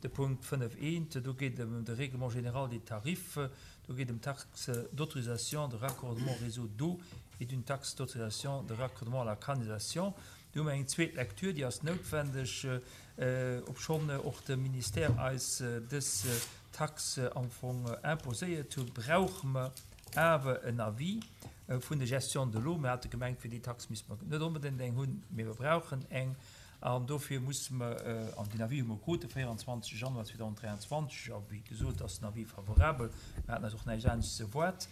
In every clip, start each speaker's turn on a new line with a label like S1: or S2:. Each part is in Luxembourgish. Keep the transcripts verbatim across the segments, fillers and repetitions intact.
S1: De Punkt fënnef eent, do geet et ëm de Règlement général des tarifs, do geet et ëm d'Taxe d'autorisation de raccordement au réseau d'eau et d'une taxe d'autorisation de raccordement à la canalisation. Do hu mer eng zweet Lecture, déi ass noutwendeg, obschonn och de Ministère eis dës Taxe am Fong imposéiert huet, brauche mer awer en Avis vun der Gestion de l'eau. Mir hate gemengt, fir déi Tax misste mer net onbedéngt eng hunn, mee mer brauchen eng. An dofir musse mer, an deen Avis hu mer krut de véierundzwanzeg Januar zweedausenddräianzwanzeg, a wéi gesot ass den Avis favorabel, mer haten eis och näischt anescht ze erwaart.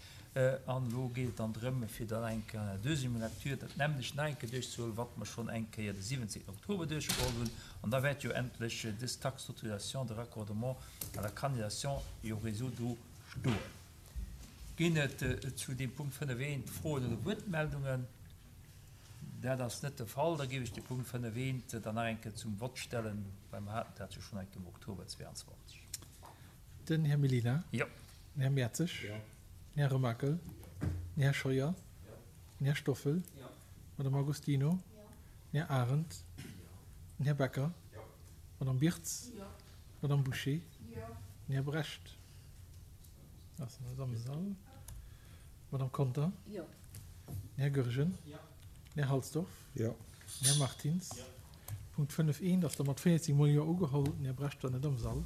S1: An elo geet et dann drëm, fir dann eng Kéier an der deuxième lecture dat nämmlecht nach eng Kéier duerchzehuelen, wat mer schonn eng Kéier de siwwenzéngten Oktober duerchgeholl hunn. An da wäert jo endlech dës Taxe d'autorisation de raccordement à la canalisation et au réseau d'eau stoen. Ginn et zu deem Punkt fënnef eent Froen oder Wuertmeldungen? Dat ass net de Fall. Da géif ech de Punkt fënnef eent dann nach eng Kéier zum Vott stellen, well mer haten dat jo schonn eng Kéier am Oktober zweeanzwanzeg.
S2: Den Här Mellina.
S1: Jo.
S2: Den Här Mertzig.
S1: Jo.
S2: Den Här Remakel. Den Här Scheuer.
S1: Jo.
S2: Den Här Stoffel.
S1: Jo.
S2: D'Madame Agostino.
S3: Jo.
S2: Den Här Arendt.
S1: Jo.
S2: Den Här Becker.
S1: Jo.
S2: D'Madame Birtz.
S3: Jo.
S2: D'Madame Bouché.
S3: Jo.
S2: Den Här Brecht. Ass net am Sall. D'Madame Conter.
S3: Jo.
S2: Den Här Goergen.
S1: Jo.
S2: Den Här Halsdorf.
S4: Jo.
S2: Den Här Martins.
S1: Jo.
S2: Punkt fënnef eent ass da mat véierzeg mol Jo ugeholl. Den Här Brecht war net am Sall.